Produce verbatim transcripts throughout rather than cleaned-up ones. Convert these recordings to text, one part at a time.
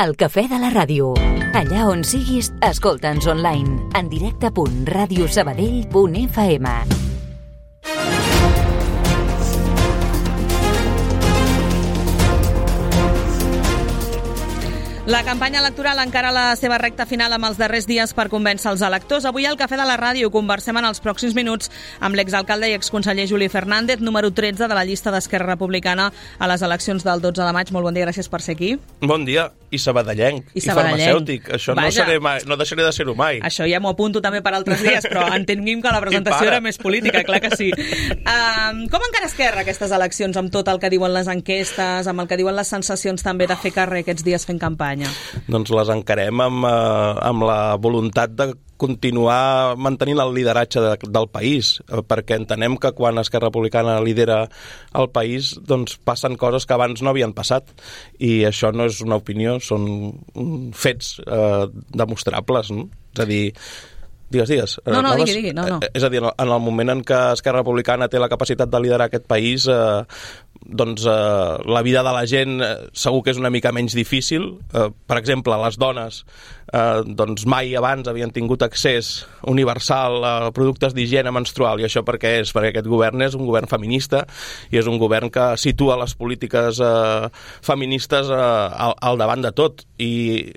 El cafè de la ràdio. Allà on siguis, escolta'ns online. En directe punt ràdio sabadell punt f m. La campanya electoral encara a la seva recta final amb els darrers dies per convèncer els electors. Avui al Cafè de la Ràdio conversem en els pròxims minuts amb l'exalcalde i exconseller Juli Fernández, número tretze de la llista d'Esquerra Republicana a les eleccions del dotze de maig. Molt bon dia, gràcies per ser aquí. Bon dia, i sabadellenc, i, I, sabadellenc. i farmacèutic. Això no, seré mai, no deixaré de ser-ho mai. Això ja m'ho apunto també per altres dies, però entenguem que la presentació era més política, clar que sí. Um, com encara Esquerra aquestes eleccions, amb tot el que diuen les enquestes, amb el que diuen les sensacions també de fer carrer aquests dies fent campanya? Doncs les encarem amb, eh, amb la voluntat de continuar mantenint el lideratge de, del país, eh, perquè entenem que quan Esquerra Republicana lidera el país, doncs passen coses que abans no havien passat, i això no és una opinió, són fets eh, demostrables, no? És a dir, Digues, digues. No, no, digui, digui. No, no. És a dir, en el moment en què Esquerra Republicana té la capacitat de liderar aquest país, eh, doncs eh, la vida de la gent eh, segur que és una mica menys difícil. Eh, per exemple, les dones eh, doncs mai abans havien tingut accés universal a productes d'higiene menstrual, i això per què és? Perquè aquest govern és un govern feminista i és un govern que situa les polítiques eh, feministes eh, al, al davant de tot, i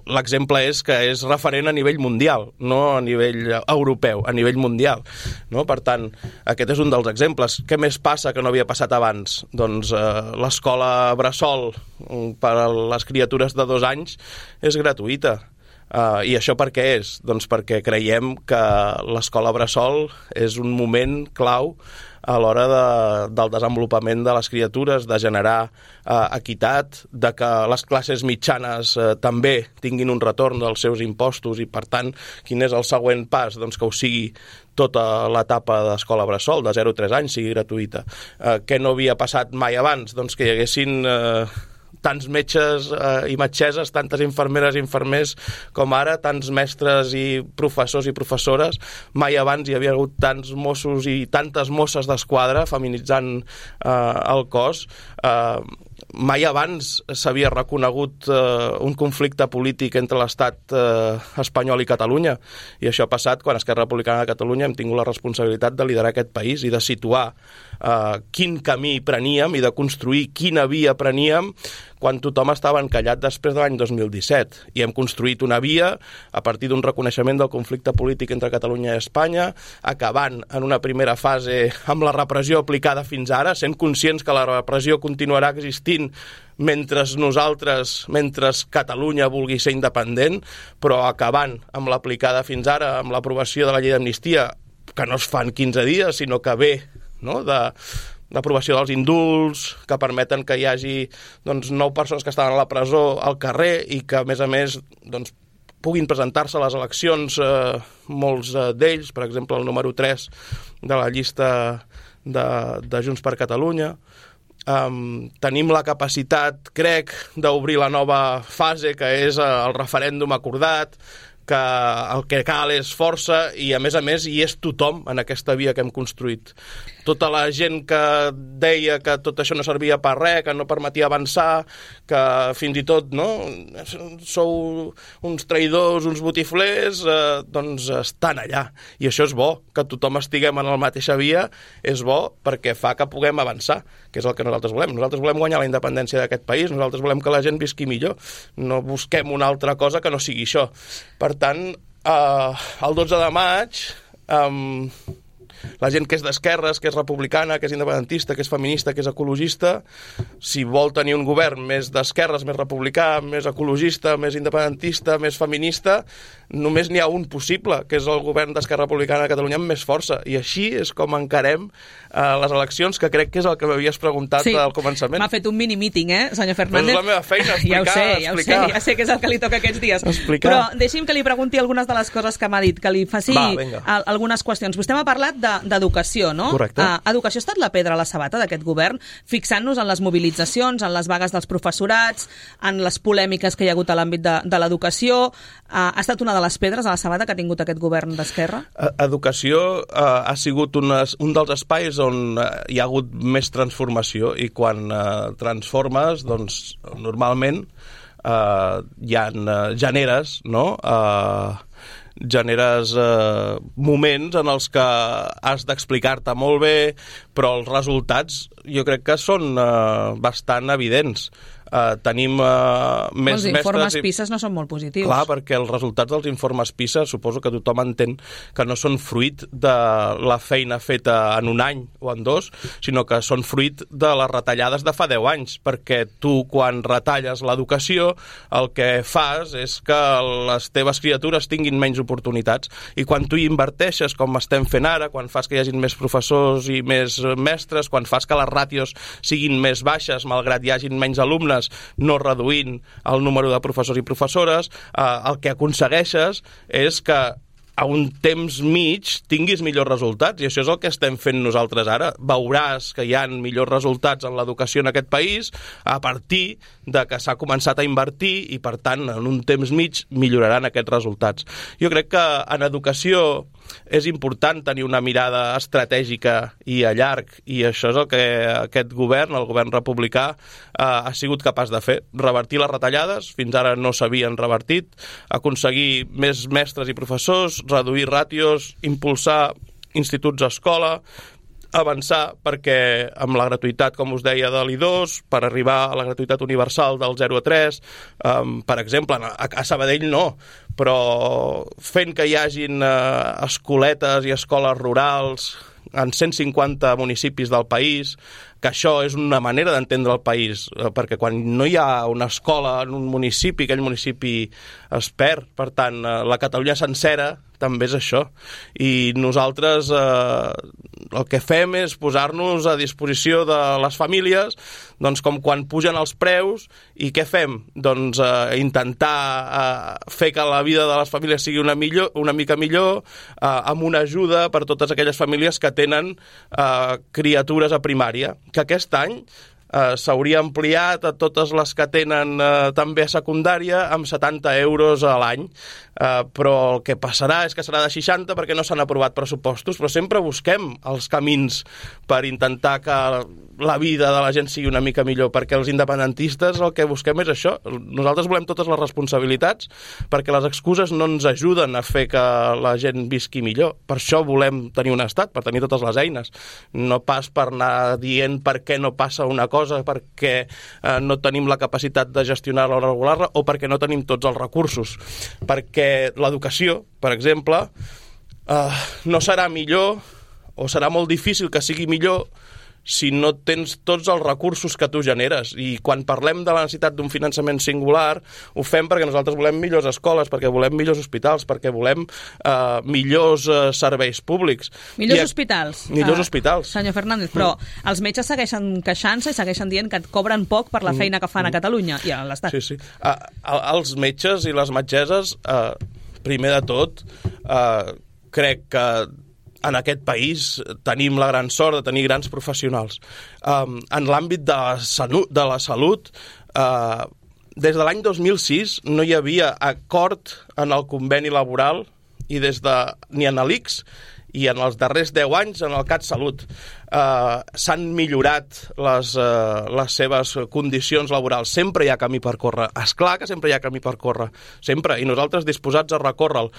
l'exemple és que és referent a nivell mundial, no a nivell europeu, a nivell mundial, no? Per tant, aquest és un dels exemples. Què més passa que no havia passat abans? Doncs eh, l'escola bressol per a les criatures de dos anys és gratuïta. Uh, I això per què és? Doncs perquè creiem que l'escola bressol és un moment clau a l'hora de, del desenvolupament de les criatures, de generar uh, equitat, de que les classes mitjanes uh, també tinguin un retorn dels seus impostos, i per tant, quin és el següent pas? Doncs que ho sigui tota l'etapa d'escola bressol, de zero a tres anys, sigui gratuïta. Uh, què no havia passat mai abans? Doncs que hi haguessin Uh, tants metges eh, i metgesses, tantes infermeres i infermers com ara, tants mestres i professors i professores. Mai abans hi havia hagut tants Mossos i tantes Mosses d'Esquadra feminitzant eh, el cos. Eh, mai abans s'havia reconegut eh, un conflicte polític entre l'estat eh, espanyol i Catalunya, i això ha passat quan Esquerra Republicana de Catalunya hem tingut la responsabilitat de liderar aquest país i de situar eh, quin camí preníem i de construir quina via preníem quan tothom estava encallat després de l'any dos mil disset. I hem construït una via a partir d'un reconeixement del conflicte polític entre Catalunya i Espanya, acabant en una primera fase amb la repressió aplicada fins ara, sent conscients que la repressió continuarà existint mentre nosaltres, mentre Catalunya vulgui ser independent, però acabant amb l'aplicada fins ara, amb l'aprovació de la llei d'amnistia, que no es fa en quinze dies, sinó que ve, no?, de l'aprovació dels indults, que permeten que hi hagi doncs, nou persones que estaven a la presó al carrer i que, a més a més, doncs, puguin presentar-se a les eleccions, eh, molts eh, d'ells, per exemple, el número tres de la llista de, de Junts per Catalunya. Um, tenim la capacitat, crec, d'obrir la nova fase, que és el referèndum acordat, que el que cal és força, i a més a més hi és tothom en aquesta via que hem construït. Tota la gent que deia que tot això no servia per res, que no permetia avançar, que fins i tot, no, sou uns traïdors, uns botiflers, eh, doncs estan allà. I això és bo, que tothom estiguem en la mateixa via, és bo perquè fa que puguem avançar, que és el que nosaltres volem. Nosaltres volem guanyar la independència d'aquest país, nosaltres volem que la gent visqui millor. No busquem una altra cosa que no sigui això. Per tant, eh, el dotze de maig, eh, la gent que és d'esquerres, que és republicana, que és independentista, que és feminista, que és ecologista, si vol tenir un govern més d'esquerres, més republicà, més ecologista, més independentista, més feminista, només n'hi ha un possible, que és el govern d'Esquerra Republicana de Catalunya amb més força. I així és com encarem eh, les eleccions, que crec que és el que m'havies preguntat sí, al començament. M'ha fet un mini-meeting, eh, senyor Fernández? Però és la meva feina, explicar, ja ho sé, ja explicar. Ho sé, ja sé que és el que li toca aquests dies. Explicar. Però deixi'm que li pregunti algunes de les coses que m'ha dit, que li faci Va, a, algunes qüestions. Vostè m'ha parlat d'educació, no? Correcte. Uh, educació ha estat la pedra a la sabata d'aquest govern, fixant-nos en les mobilitzacions, en les vagues dels professorats, en les polèmiques que hi ha hagut a l'àmbit de, de l'educació. Uh, ha estat una de les pedres a la sabata que ha tingut aquest govern d'Esquerra? Educació uh, ha sigut unes, un dels espais on uh, hi ha hagut més transformació, i quan uh, transformes, doncs, normalment eh, hi ha eh, generes, no?, eh, generes eh, moments en els que has d'explicar-te molt bé, però els resultats jo crec que són eh, bastant evidents. Uh, tenim uh, més els informes mestres... I... PISA no són molt positius. Clar, perquè els resultats dels informes PISA suposo que tothom entén que no són fruit de la feina feta en un any o en dos, sinó que són fruit de les retallades de fa deu anys, perquè tu, quan retalles l'educació, el que fas és que les teves criatures tinguin menys oportunitats, i quan tu hi inverteixes, com estem fent ara, quan fas que hi hagin més professors i més mestres, quan fas que les ràtios siguin més baixes, malgrat hi hagin menys alumnes, no reduint el número de professors i professores, eh, el que aconsegueixes és que a un temps mig tinguis millors resultats, i això és el que estem fent nosaltres ara. Veuràs que hi ha millors resultats en l'educació en aquest país a partir de que s'ha començat a invertir, i per tant en un temps mig milloraran aquests resultats. Jo crec que en educació és important tenir una mirada estratègica i a llarg, i això és el que aquest govern, el govern republicà, eh, ha sigut capaç de fer. Revertir les retallades, fins ara no s'havien revertit, aconseguir més mestres i professors, reduir ràtios, impulsar instituts a escola, avançar perquè amb la gratuïtat, com us deia, de l'I dos, per arribar a la gratuïtat universal del zero a tres, um, per exemple, a, a Sabadell no, però fent que hi hagin uh, escoletes i escoles rurals en cent cinquanta municipis del país, que això és una manera d'entendre el país, perquè quan no hi ha una escola en un municipi, aquell municipi es perd. Per tant, la Catalunya sencera també és això. I nosaltres eh, el que fem és posar-nos a disposició de les famílies, doncs com quan pugen els preus, i què fem? Doncs eh, intentar eh, fer que la vida de les famílies sigui una, millor, una mica millor, eh, amb una ajuda per totes aquelles famílies que tenen eh, criatures a primària, que aquest any Uh, s'hauria ampliat a totes les que tenen uh, també a secundària amb setanta euros a l'any, uh, però el que passarà és que serà de seixanta perquè no s'han aprovat pressupostos, però sempre busquem els camins per intentar que la vida de la gent sigui una mica millor, perquè els independentistes el que busquem és això. Nosaltres volem totes les responsabilitats, perquè les excuses no ens ajuden a fer que la gent visqui millor. Per això volem tenir un estat, per tenir totes les eines, no pas per anar dient per què no passa una cosa, perquè eh, no tenim la capacitat de gestionar-la o regular-la, o perquè no tenim tots els recursos. Perquè l'educació, per exemple, eh, no serà millor, o serà molt difícil que sigui millor, si no tens tots els recursos que tu generes. I quan parlem de la necessitat d'un finançament singular, ho fem perquè nosaltres volem millors escoles, perquè volem millors hospitals, perquè volem eh, millors eh, serveis públics. Millors I, hospitals. Millors uh, hospitals. Senyor Fernández, però mm. els metges segueixen queixant-se i segueixen dient que et cobren poc per la feina que fan mm. a Catalunya i a l'Estat. Sí, sí. Uh, els metges i les metgesses, uh, primer de tot, uh, crec que en aquest país tenim la gran sort de tenir grans professionals. Um, en l'àmbit de la salut, de la salut uh, des de l'any dos mil sis no hi havia acord en el conveni laboral, i des de, ni en l'I C S, i en els darrers deu anys en el CatSalut uh, s'han millorat les, uh, les seves condicions laborals. Sempre hi ha camí per córrer. Esclar que sempre hi ha camí per córrer, sempre, i nosaltres disposats a recórrer-lo.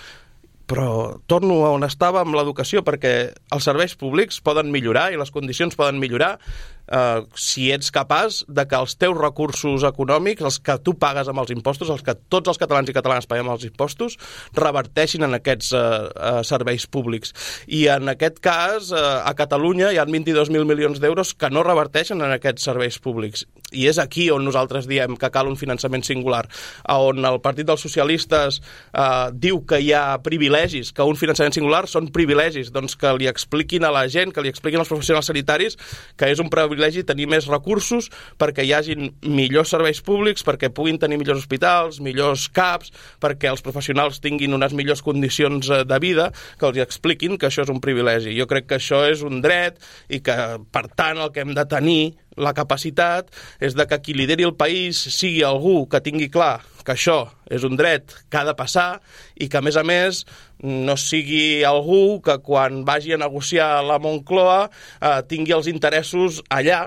Però torno a on estava amb l'educació, perquè els serveis públics poden millorar i les condicions poden millorar eh, si ets capaç de que els teus recursos econòmics, els que tu pagues amb els impostos, els que tots els catalans i catalanes paguem els impostos, reverteixin en aquests eh, eh, serveis públics. I en aquest cas, eh, a Catalunya hi ha vint-i-dos mil milions d'euros que no reverteixen en aquests serveis públics. I és aquí on nosaltres diem que cal un finançament singular, on el Partit dels Socialistes eh, diu que hi ha privilegis, que un finançament singular són privilegis, doncs que li expliquin a la gent, que li expliquin als professionals sanitaris que és un privilegi tenir més recursos perquè hi hagin millors serveis públics, perquè puguin tenir millors hospitals, millors C A Ps, perquè els professionals tinguin unes millors condicions de vida, que els expliquin que això és un privilegi. Jo crec que això és un dret i que, per tant, el que hem de tenir la capacitat és de que qui lideri el país sigui algú que tingui clar que això és un dret que ha de passar i que, a més a més, no sigui algú que quan vagi a negociar a la Moncloa eh, tingui els interessos allà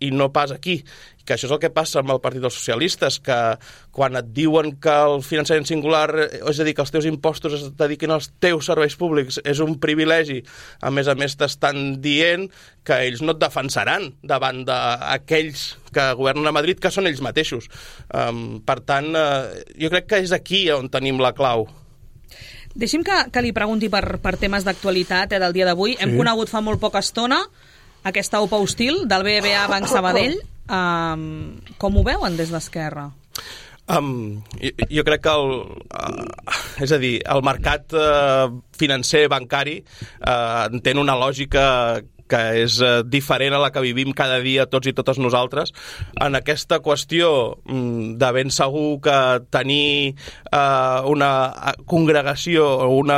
i no pas aquí. Que això és el que passa amb el Partit dels Socialistes, que quan et diuen que el finançament singular, és a dir, que els teus impostos es dediquin als teus serveis públics, és un privilegi, a més a més t'estan dient que ells no et defensaran davant d'aquells que governen a Madrid, que són ells mateixos. Um, per tant, uh, jo crec que és aquí on tenim la clau. Deixi'm que, que li pregunti per, per temes d'actualitat eh, del dia d'avui. Sí. Hem conegut fa molt poca estona aquesta O P A hostil del B B V A Banc Sabadell. Um, com ho veuen des d'Esquerra? Um, jo, jo crec que el, uh, és a dir, el mercat uh, financer bancari uh, entén una lògica que és uh, diferent a la que vivim cada dia tots i totes nosaltres. En aquesta qüestió um, de ben segur que tenir uh, una congregació o una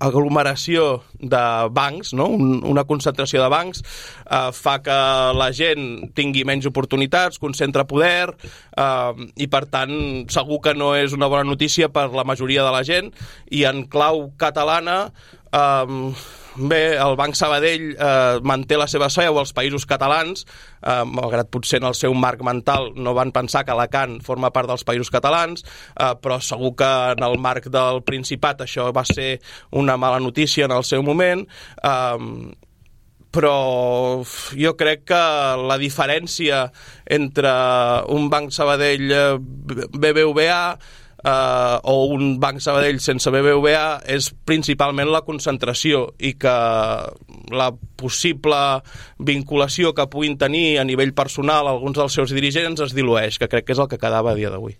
aglomeració de bancs, no? Un, una concentració de bancs, uh, fa que la gent tingui menys oportunitats, concentra poder, uh, i per tant segur que no és una bona notícia per la majoria de la gent. I en clau catalana, uh, bé, el Banc Sabadell eh, manté la seva seu als Països Catalans, eh, malgrat potser en el seu marc mental no van pensar que Alacant forma part dels Països Catalans, eh, però segur que en el marc del Principat això va ser una mala notícia en el seu moment, eh, però jo crec que la diferència entre un Banc Sabadell B B V A Uh, o un Banc Sabadell sense B B V A és principalment la concentració, i que la possible vinculació que puguin tenir a nivell personal alguns dels seus dirigents es dilueix, que crec que és el que quedava a dia d'avui.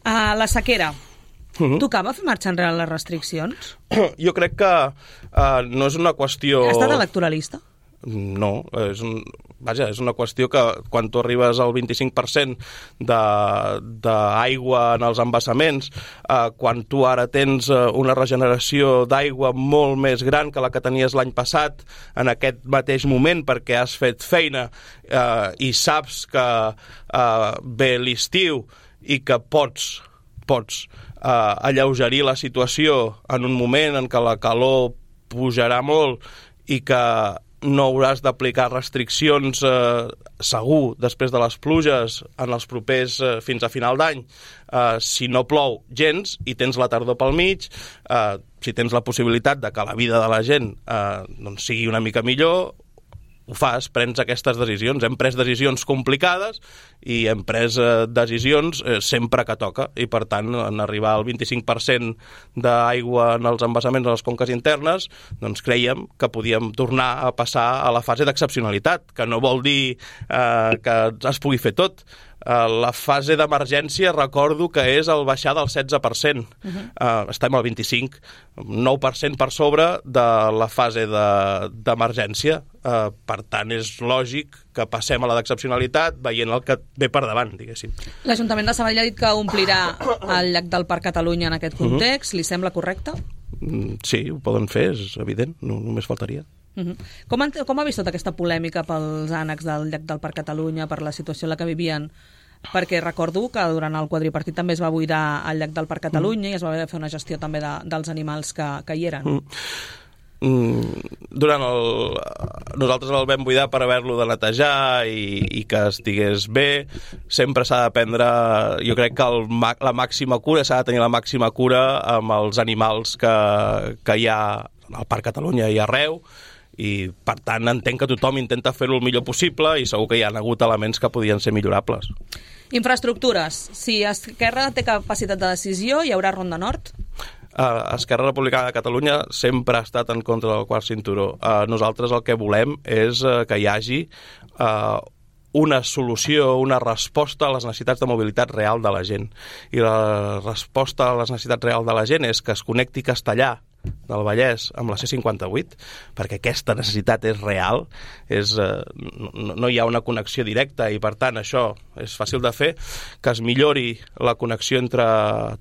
Uh, la sequera. Uh-huh. Tocava fer marxa enrere les restriccions? Jo crec que uh, no és una qüestió... Ha estat electoralista? No, és, un, vaja, és una qüestió que quan tu arribes al vint-i-cinc per cent d'aigua en els embassaments, eh, quan tu ara tens una regeneració d'aigua molt més gran que la que tenies l'any passat en aquest mateix moment perquè has fet feina eh, i saps que eh, ve l'estiu i que pots, pots eh, alleugerir la situació en un moment en què la calor pujarà molt i que no hauràs d'aplicar restriccions eh, segur després de les pluges en els propers eh, fins a final d'any, eh, si no plou gens i tens la tardor pel mig, eh, si tens la possibilitat de que la vida de la gent eh, doncs sigui una mica millor, ho fas, prens aquestes decisions. Hem pres decisions complicades i hem pres eh, decisions eh, sempre que toca, i per tant en arribar al vint-i-cinc per cent d'aigua en els embassaments de les conques internes, doncs creiem que podíem tornar a passar a la fase d'excepcionalitat, que no vol dir eh, que es pugui fer tot. La fase d'emergència recordo que és el baixar del setze per cent. Uh-huh. uh, estem al vint-i-cinc, nou per cent per sobre de la fase d'emergència. De, uh, per tant, és lògic que passem a la d'excepcionalitat veient el que ve per davant, diguéssim. L'Ajuntament de Sabadell ha dit que omplirà el llac del Parc Catalunya en aquest context. Uh-huh. Li sembla correcte? Sí, ho poden fer, és evident, no, només faltaria. Uh-huh. Com, han, com ha vist tota aquesta polèmica pels ànecs del llac del Parc Catalunya, per la situació en la que vivien? Perquè recordo que durant el quadripartit també es va buidar el llac del Parc Catalunya mm. i es va haver de fer una gestió també de, dels animals que, que hi eren. Mm. Mm, durant el... Nosaltres el vam buidar per haver-lo de netejar i, i que estigués bé. Sempre s'ha de prendre, jo crec que el, la màxima cura, s'ha de tenir la màxima cura amb els animals que, que hi ha al Parc Catalunya i arreu, i per tant entenc que tothom intenta fer-ho el millor possible i segur que hi ha hagut elements que podien ser millorables. Infraestructures. Si Esquerra té capacitat de decisió, hi haurà Ronda Nord? Uh, Esquerra Republicana de Catalunya sempre ha estat en contra del quart cinturó. Uh, nosaltres el que volem és uh, que hi hagi uh, una solució, una resposta a les necessitats de mobilitat real de la gent. I la resposta a les necessitats reals de la gent és que es connecti Castellà del Vallès amb la C cinquanta-vuit, perquè aquesta necessitat és real, és, eh, no, no hi ha una connexió directa i per tant això és fàcil de fer, que es millori la connexió entre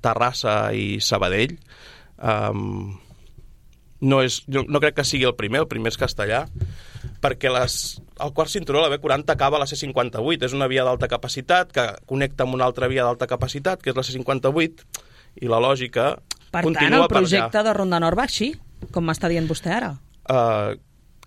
Terrassa i Sabadell. Um, no, és, no, no crec que sigui el primer, el primer és Castellà, perquè les, el quart cinturó, la B quaranta, acaba a la C cinquanta-vuit, és una via d'alta capacitat que connecta amb una altra via d'alta capacitat, que és la C cinquanta-vuit, i la lògica per continua tant, el projecte de Ronda Nord va així, com m'està dient vostè ara? Uh,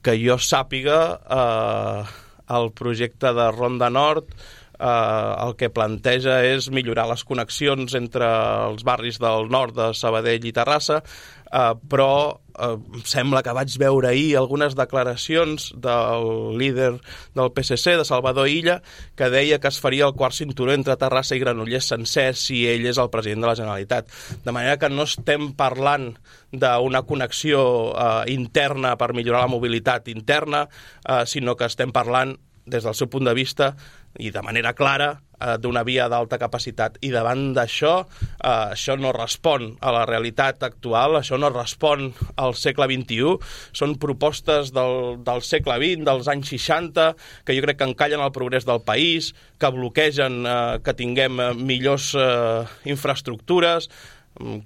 que jo sàpiga, uh, el projecte de Ronda Nord eh, el que planteja és millorar les connexions entre els barris del nord de Sabadell i Terrassa, eh, però eh, sembla que vaig veure ahir algunes declaracions del líder del P S C, de Salvador Illa, que deia que es faria el quart cinturó entre Terrassa i Granollers sencer si ell és el president de la Generalitat. De manera que no estem parlant d'una connexió eh, interna per millorar la mobilitat interna, eh, sinó que estem parlant des del seu punt de vista i de manera clara eh, d'una via d'alta capacitat. I davant d'això, eh, això no respon a la realitat actual, això no respon al segle vint-i-u, són propostes del, del segle vint, dels anys seixanta, que jo crec que encallen el progrés del país, que bloquegen eh, que tinguem eh, millors eh, infraestructures,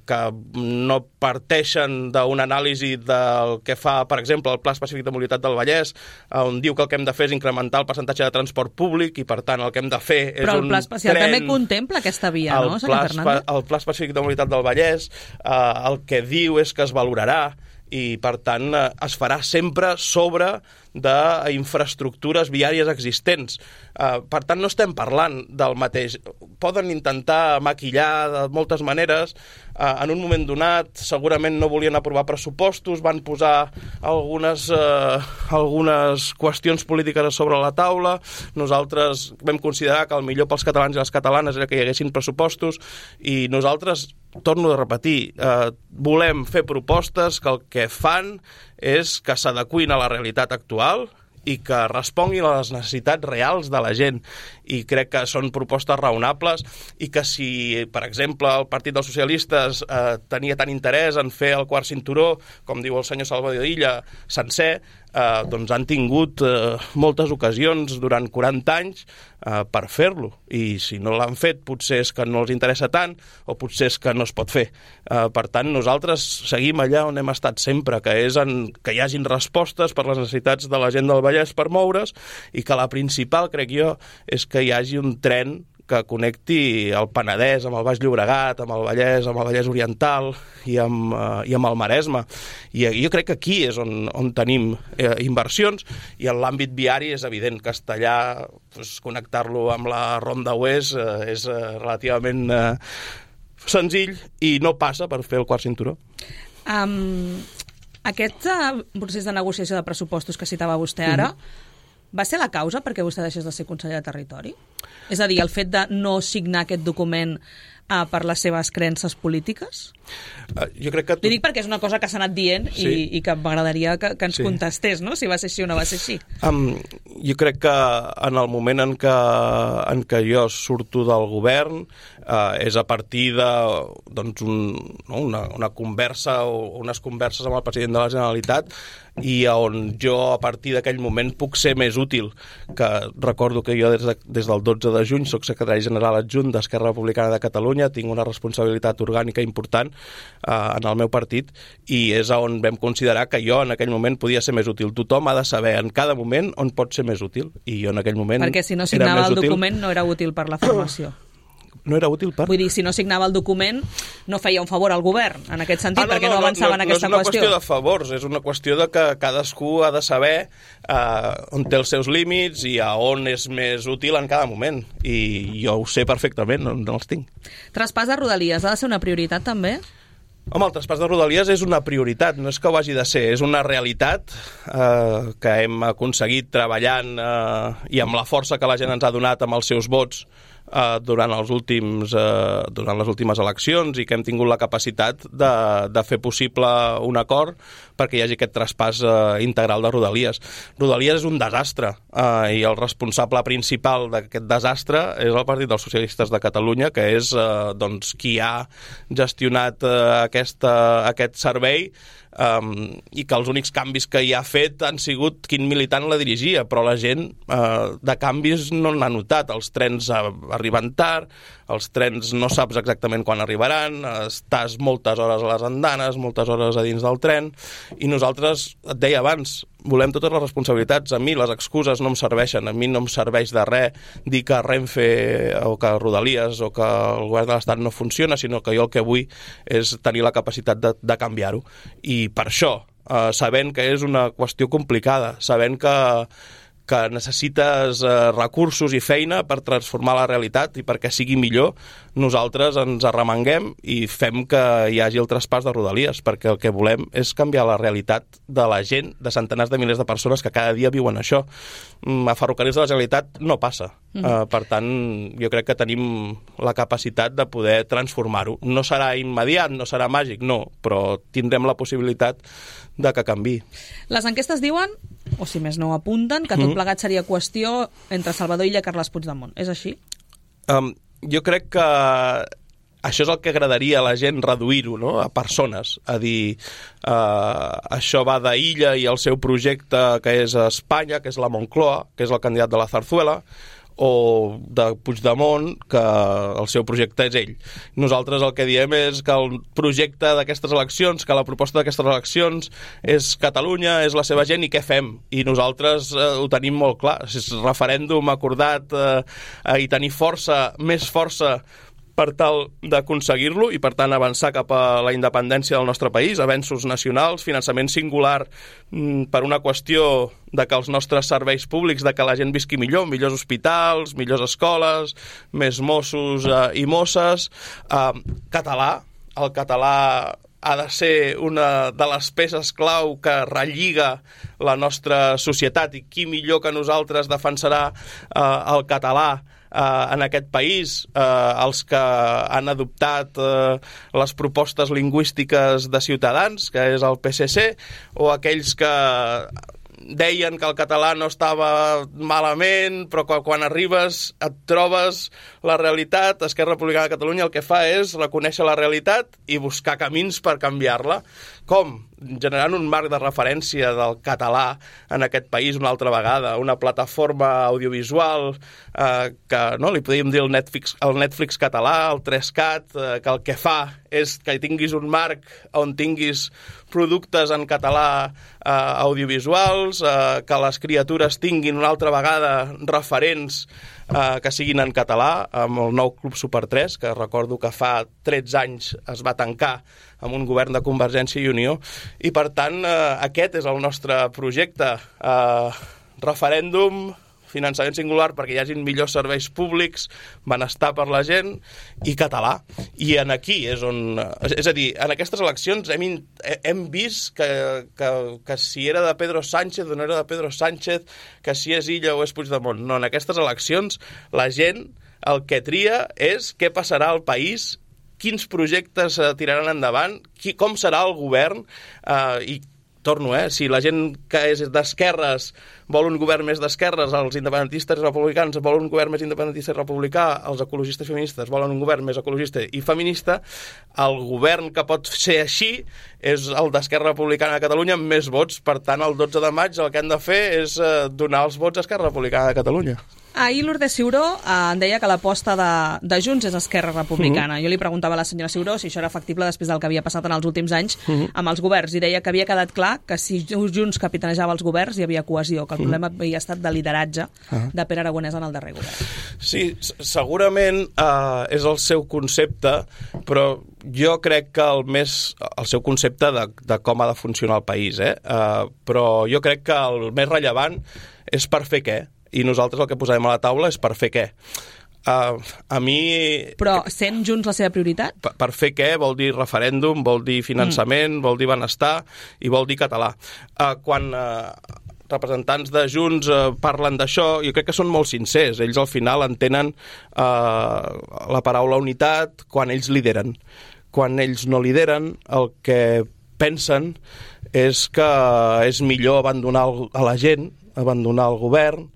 que no parteixen d'una anàlisi del que fa, per exemple, el Pla Específic de Mobilitat del Vallès, on diu que el que hem de fer és incrementar el percentatge de transport públic i, per tant, el que hem de fer és un tren... Però el Pla Especial també contempla aquesta via, no, senyor Fernández? El Pla Específic de Mobilitat del Vallès eh, el que diu és que es valorarà i, per tant, eh, es farà sempre sobre d'infraestructures viàries existents. Uh, per tant, no estem parlant del mateix. Poden intentar maquillar de moltes maneres. Uh, en un moment donat, segurament no volien aprovar pressupostos, van posar algunes, uh, algunes qüestions polítiques sobre la taula. Nosaltres vam considerar que el millor pels catalans i les catalanes era que hi haguessin pressupostos i nosaltres, torno a repetir, uh, volem fer propostes que el que fan és que s'adequin a la realitat actual i que responguin a les necessitats reals de la gent. I crec que són propostes raonables i que si, per exemple, el Partit dels Socialistes eh, tenia tant interès en fer el quart cinturó, com diu el senyor Salvador Illa, sencer, eh, doncs han tingut eh, moltes ocasions durant quaranta anys eh, per fer-lo. I si no l'han fet, potser és que no els interessa tant o potser és que no es pot fer. Eh, per tant, nosaltres seguim allà on hem estat sempre, que és en, que hi hagin respostes per les necessitats de la gent del Vallès per moure's i que la principal, crec jo, és que hi hagi un tren que connecti el Penedès amb el Baix Llobregat, amb el Vallès, amb el Vallès Oriental i amb, uh, i amb el Maresme. I jo crec que aquí és on, on tenim eh, inversions i en l'àmbit viari és evident. Castellà, pues, connectar-lo amb la Ronda Oest eh, és eh, relativament eh, senzill i no passa per fer el quart cinturó. Um, aquest uh, procés de negociació de pressupostos que citava vostè ara, mm-hmm. va ser la causa perquè vostè deixés de ser conseller de Territori? És a dir, el fet de no signar aquest document uh, per les seves creences polítiques? Uh, jo crec que... Tu... Li dic perquè és una cosa que s'ha anat dient sí. i, i que m'agradaria que, que ens sí. contestés, no? Si va ser així o no va ser així. Um, jo crec que en el moment en què, en què jo surto del govern uh, és a partir de doncs un, no, una, una conversa o unes converses amb el president de la Generalitat i on jo a partir d'aquell moment puc ser més útil, que recordo que jo des, de, des del dotze de juny soc secretari general adjunt d'Esquerra Republicana de Catalunya, tinc una responsabilitat orgànica important eh, en el meu partit i és on vam considerar que jo en aquell moment podia ser més útil. Tothom ha de saber en cada moment on pot ser més útil i jo en aquell moment perquè si no signava el document no era útil per la formació. No era útil per... Vull dir, si no signava el document no feia un favor al govern, en aquest sentit, ah, no, perquè no, no avançava no, en aquesta qüestió. No és una qüestió de favors, és una qüestió de que cadascú ha de saber eh, on té els seus límits i a on és més útil en cada moment. I jo ho sé perfectament, no, no els tinc. Traspàs de Rodalies ha de ser una prioritat també? Home, el traspàs de Rodalies és una prioritat, no és que ho hagi de ser, és una realitat eh, que hem aconseguit treballant eh, i amb la força que la gent ens ha donat amb els seus vots eh, durant, els últims, eh, durant les últimes eleccions i que hem tingut la capacitat de, de fer possible un acord perquè hi hagi aquest traspàs eh, integral de Rodalies. Rodalies és un desastre eh, i el responsable principal d'aquest desastre és el Partit dels Socialistes de Catalunya, que és eh, doncs, qui ha gestionat eh, aquesta, aquest servei um, i que els únics canvis que hi ha fet han sigut quin militant la dirigia, però la gent uh, de canvis no n'ha notat. Els trens arriben tard, els trens no saps exactament quan arribaran, estàs moltes hores a les andanes, moltes hores a dins del tren, i nosaltres, et deia abans, volem totes les responsabilitats. A mi les excuses no em serveixen, a mi no em serveix de res dir que Renfe o que Rodalies o que el govern de l'Estat no funciona, sinó que jo el que vull és tenir la capacitat de, de canviar-ho. I per això, eh, sabent que és una qüestió complicada, sabent que que necessites eh, recursos i feina per transformar la realitat i perquè sigui millor, nosaltres ens arremanguem i fem que hi hagi el traspàs de Rodalies, perquè el que volem és canviar la realitat de la gent, de centenars de milers de persones que cada dia viuen això. A Ferrocarrils de la Generalitat no passa. Mm. Uh, per tant, jo crec que tenim la capacitat de poder transformar-ho. No serà immediat, no serà màgic, no, però tindrem la possibilitat de que canvi. Les enquestes diuen, o si més no apunten, que tot mm. plegat seria qüestió entre Salvador Illa i Carles Puigdemont. És així? Um, jo crec que això és el que agradaria a la gent reduir-ho, no? A persones, a dir uh, això va d'Illa i el seu projecte que és a Espanya, que és la Moncloa, que és el candidat de la Zarzuela, o de Puigdemont, que el seu projecte és ell. Nosaltres el que diem és que el projecte d'aquestes eleccions, que la proposta d'aquestes eleccions és Catalunya, és la seva gent i què fem? I nosaltres eh, ho tenim molt clar. És referèndum acordat eh, i tenir força, més força per tal d'aconseguir-lo i, per tant, avançar cap a la independència del nostre país, avenços nacionals, finançament singular mm, per una qüestió de que els nostres serveis públics, de que la gent visqui millor, millors hospitals, millors escoles, més Mossos eh, i Mosses, eh, català, el català ha de ser una de les peces clau que relliga la nostra societat i qui millor que nosaltres defensarà eh, el català Uh, en aquest país, uh, els que han adoptat uh, les propostes lingüístiques de Ciutadans, que és el P S C, o aquells que deien que el català no estava malament, però quan arribes et trobes la realitat. Esquerra Republicana de Catalunya el que fa és reconèixer la realitat i buscar camins per canviar-la. Com? Generant un marc de referència del català en aquest país una altra vegada, una plataforma audiovisual eh, que no, li podríem dir el Netflix, el Netflix català, el tres cat, eh, que el que fa és que tinguis un marc on tinguis productes en català eh, audiovisuals, eh, que les criatures tinguin una altra vegada referents eh, que siguin en català, amb el nou Club Super tres, que recordo que fa tretze anys es va tancar amb un govern de Convergència i Unió, i per tant eh, aquest és el nostre projecte. Eh, referèndum, finançament singular perquè hi hagin millors serveis públics, benestar per la gent i català. I en aquí és on... És a dir, en aquestes eleccions hem, hem vist que, que, que si era de Pedro Sánchez o no era de Pedro Sánchez, que si és Illa o és Puigdemont. No, en aquestes eleccions la gent el que tria és què passarà al país, quins projectes eh, tiraran endavant, qui, com serà el govern, eh, i torno, eh, si la gent que és d'esquerres vol un govern més d'esquerres, els independentistes i republicans volen un govern més independentista i republicà, els ecologistes i feministes volen un govern més ecologista i feminista, el govern que pot ser així és el d'Esquerra Republicana de Catalunya amb més vots. Per tant, el dotze de maig el que han de fer és eh, donar els vots a Esquerra Republicana de Catalunya. Ahir Lourdes Ciuró eh, em deia que l'aposta de, de Junts és Esquerra Republicana. Uh-huh. Jo li preguntava a la senyora Ciuró si això era factible després del que havia passat en els últims anys uh-huh. amb els governs, i deia que havia quedat clar que si Junts capitanejava els governs hi havia cohesió, que el uh-huh. problema havia estat de lideratge uh-huh. de Pere Aragonès en el darrer govern. Sí, segurament eh, és el seu concepte, però jo crec que el més el seu concepte de, de com ha de funcionar el país, eh? Uh, però jo crec que el més rellevant és per fer què. I nosaltres el que posarem a la taula és per fer què. Uh, a mi... Però sent Junts la seva prioritat? Per, per fer què vol dir referèndum, vol dir finançament, mm. vol dir benestar i vol dir català. Uh, quan uh, representants de Junts uh, parlen d'això, jo crec que són molt sincers. Ells al final entenen uh, la paraula unitat quan ells lideren. Quan ells no lideren, el que pensen és que és millor abandonar a la gent, abandonar el govern,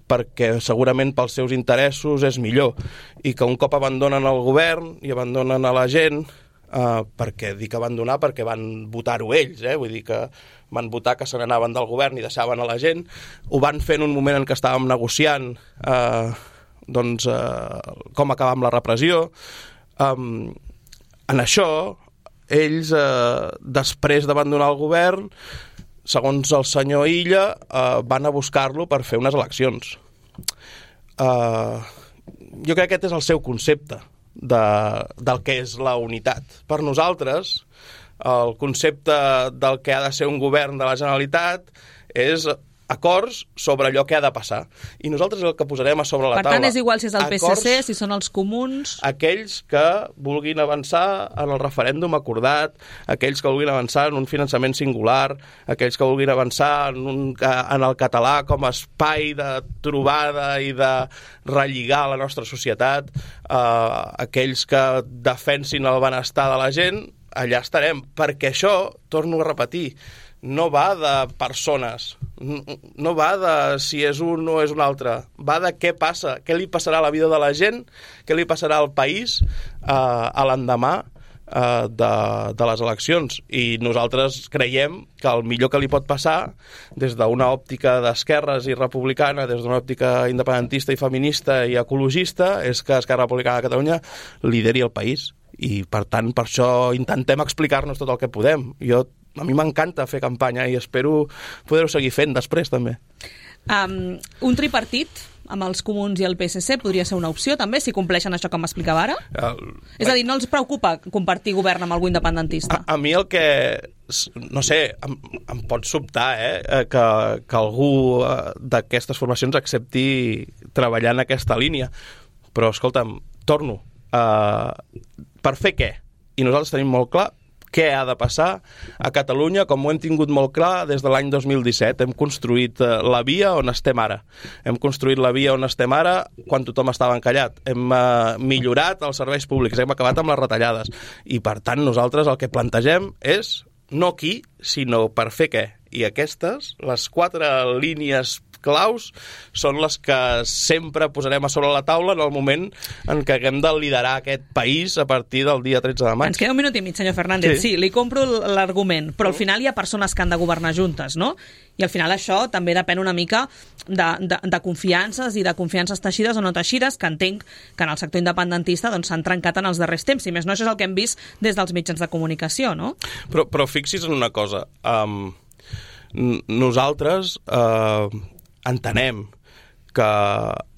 perquè segurament pels seus interessos és millor, i que un cop abandonen el govern i abandonen a la gent, eh, perquè dic abandonar perquè van votar-ho ells, eh? Vull dir que van votar que se n'anaven del govern i deixaven a la gent, ho van fer en un moment en què estàvem negociant eh, doncs, eh, com acabar amb la repressió. Um, en això, ells, eh, després d'abandonar el govern, segons el senyor Illa, eh, van a buscar-lo per fer unes eleccions. Eh, jo crec que aquest és el seu concepte de, del que és la unitat. Per nosaltres, el concepte del que ha de ser un govern de la Generalitat és acords sobre allò que ha de passar. I nosaltres el que posarem a sobre la per taula... Per tant, és igual si és el P S C, si són els comuns... Aquells que vulguin avançar en el referèndum acordat, aquells que vulguin avançar en un finançament singular, aquells que vulguin avançar en, un, en el català com a espai de trobada i de relligar la nostra societat, eh, aquells que defensin el benestar de la gent, allà estarem, perquè això, torno a repetir, no va de persones, no va de si és un o és un altre, va de què passa, què li passarà a la vida de la gent, què li passarà al país eh, a l'endemà eh, de, de les eleccions. I nosaltres creiem que el millor que li pot passar, des d'una òptica d'esquerres i republicana, des d'una òptica independentista i feminista i ecologista, és que Esquerra Republicana de Catalunya lideri el país. I, per tant, per això intentem explicar-nos tot el que podem. Jo A mi m'encanta fer campanya i espero poder-ho seguir fent després, també. Um, un tripartit amb els comuns i el P S C podria ser una opció, també, si compleixen això que m'explicava ara? Uh, És a dir, no els preocupa compartir govern amb algú independentista? A, a mi el que... No sé, em, em pot sobtar eh, que, que algú d'aquestes formacions accepti treballar en aquesta línia. Però, escolta'm, torno. Uh, per fer què? I nosaltres tenim molt clar què ha de passar a Catalunya, com ho hem tingut molt clar des de l'any dos mil disset. Hem construït la via on estem ara. Hem construït la via on estem ara quan tothom estava encallat. Hem uh, millorat els serveis públics, hem acabat amb les retallades. I, per tant, nosaltres el que plantegem és no qui, sinó per fer què. I aquestes, les quatre línies claus, són les que sempre posarem a sobre la taula en el moment en què haguem de liderar aquest país a partir del dia tretze de maig. Ens queda un minut i mig, senyor Fernández. Sí, sí, li compro l'argument, però al final hi ha persones que han de governar juntes, no? I al final això també depèn una mica de, de, de confiances i de confiances teixides o no teixides, que entenc que en el sector independentista doncs, s'han trencat en els darrers temps. Si més no, això és el que hem vist des dels mitjans de comunicació, no? Però, però fixi's en una cosa. Um, nosaltres... Uh, entenem que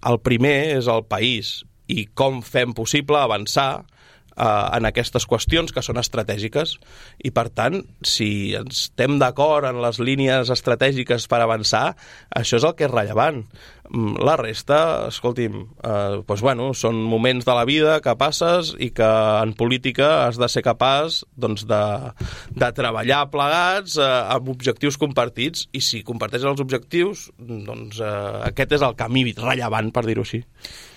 el primer és el país i com fem possible avançar eh, en aquestes qüestions que són estratègiques i, per tant, si estem d'acord en les línies estratègiques per avançar, això és el que és rellevant. La resta, escolti'm, eh, doncs, bueno, són moments de la vida que passes i que en política has de ser capaç doncs, de, de treballar plegats eh, amb objectius compartits, i si comparteixes els objectius, doncs eh, aquest és el camí rellevant, per dir-ho així.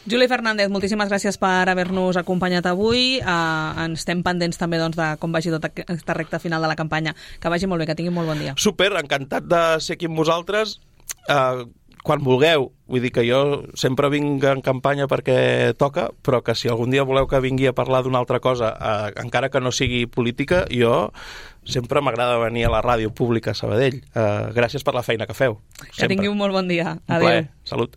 Juli Fernández, moltíssimes gràcies per haver-nos acompanyat avui. Uh, ens estem pendents també doncs, de com vagi tota aquesta recta final de la campanya. Que vagi molt bé, que tingui molt bon dia. Super, encantat de ser aquí amb vosaltres. Uh, quan vulgueu, vull dir que jo sempre vinc en campanya perquè toca, però que si algun dia voleu que vingui a parlar d'una altra cosa, eh, encara que no sigui política, jo sempre m'agrada venir a la ràdio pública a Sabadell. Eh, gràcies per la feina que feu. Que sempre. Tingui un molt bon dia. Adéu. Un plaer. Salut.